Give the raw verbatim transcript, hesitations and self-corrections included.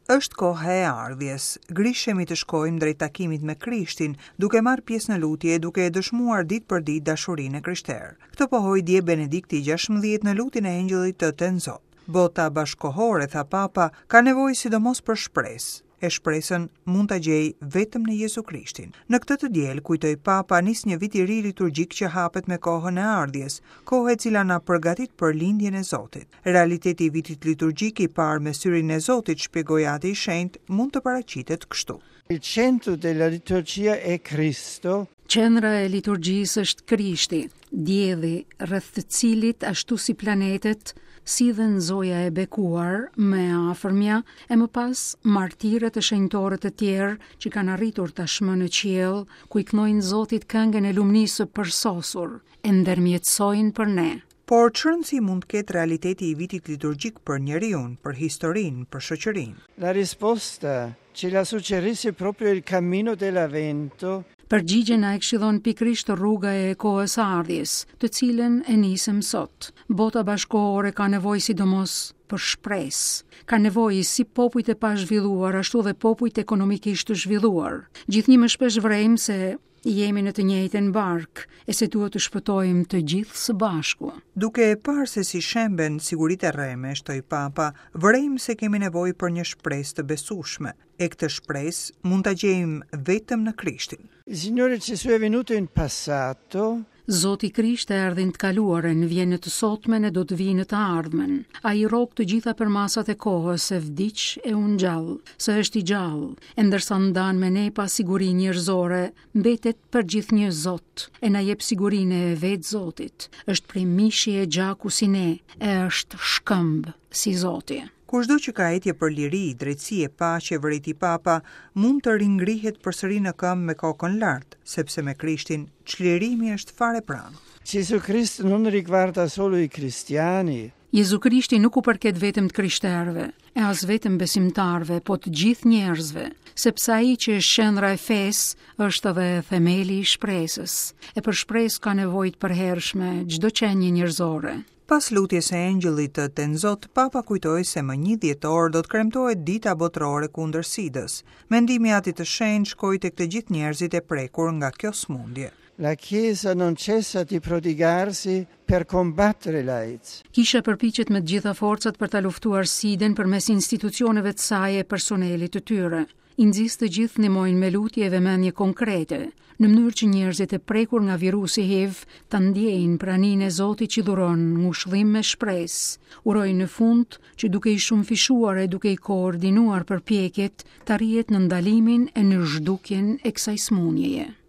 Është koha e ardhjes. Grishemi të shkojmë drejt takimit me Krishtin, duke marrë pjesë në lutje e duke e dëshmuar ditë për ditë dashurinë e krishterë. Këtë pohoi dje Benedikti gjashtëmbëdhjetë në lutjen e Engjëllit të Tenzot. Bota bashkohore, tha Papa, ka nevojë sidomos për shpresë. E shpresën mund ta gjej vetëm në Jezu Krishtin. Në këtë të diel, kujtoi Papa, nis një vit i ri liturgjik që hapet me kohën e ardhjes, kohë e cila na përgatit për lindjen e Zotit. Realiteti i vitit liturgjik i parë me syrin e Zotit, shpjegoi Ati i Shenjtë, mund të paraqitet kështu. Il centro della liturgia è Cristo. Qendra e liturgjisë është Krishti, dielli rreth të cilit ashtu si planetet, si dhe nzoja e bekuar, më e afërmja, e më pas martirët e shenjtorët e tjerë që kanë arritur tashmë në qiell, ku i këndojnë Zotit këngën e lumnisë së përsosur, e ndërmjetësojnë për ne. Por ç'rëndësi mund të ketë realiteti i vitit liturgjik për njeriun, për historinë, për shoqërinë? La risposta ce la suggerisce proprio il cammino dell'Avvento. Përgjigjen na e këshillon pikërisht rruga e kohës së ardhjes, të cilën e nisëm sot. Bota bashkohore ka nevojë sidomos për shpresë. Ka nevojë si popujt e pazhvilluar, ashtu dhe popujt ekonomikisht të zhvilluar. Gjithnjë më shpesh vrejmë se jemi në të njëjtën barkë e se duhet të shpëtojmë të gjithë së bashku. Duke e parë se si shemben siguritë e rreme, shtoi Papa, vërejmë se kemi nevojë për një shpresë të besueshme. E këtë shpresë mund ta gjejmë vetëm në Krishtin. Il Signore Gesù è venuto in passato. Zoti Krisht erdhi në të kaluarën, vjen në të sotmen e do të vijë në të ardhmen. Ai rrok të gjitha përmasat e kohës, se vdiq e u ngjall, se është i gjallë, e ndërsa ndan me ne pasiguri njerëzore, mbetet për gjithnjë Zot, e na jep sigurinë e vetë Zotit. Është prej mishi e gjaku si ne, e është shkëmb si Zoti. Kushdo që ka etje për liri, drejtësi e paqe, vërejti Papa, mund të ringrihet përsëri në këmbë me kokën lart, sepse me Krishtin çlirimi është fare pranë. Gesù Cristo non riguarda solo i cristiani. Jezu Krishti nuk u përket vetëm të krishterëve, e as vetëm besimtarëve, po të gjithë njerëzve, sepse ai që është qendra e fesë është edhe themeli i shpresës, e për shpresë ka nevojë të përhershme çdo qenie njerëzore. Pas lutjes së Engjëllit të Tenzot, Papa kujtoi se më një dhjetor do të kremtohet Dita Botërore kundër Sidës. Mendimi i Atit të Shenjtë shkoi tek të gjithë njerëzit e prekur nga kjo smundje. La Chiesa non cessa di prodigarsi per combattere l'AIDS. Kisha përpiqet me të gjitha forcat për ta luftuar Sidën përmes institucioneve të saj e personelit të tyre. I nxis të gjithë ndihmojnë me lutje e vëmendje konkrete, në mënyrë që njerëzit e prekur nga virusi H I V ta ndjejnë praninë e Zotit që dhuron ngushëllim me shpresë. Uroj në fund që duke i shumëfishuar e duke i koordinuar përpjekjet, të arrihet në ndalimin e në zhdukjen e kësaj sëmundjeje.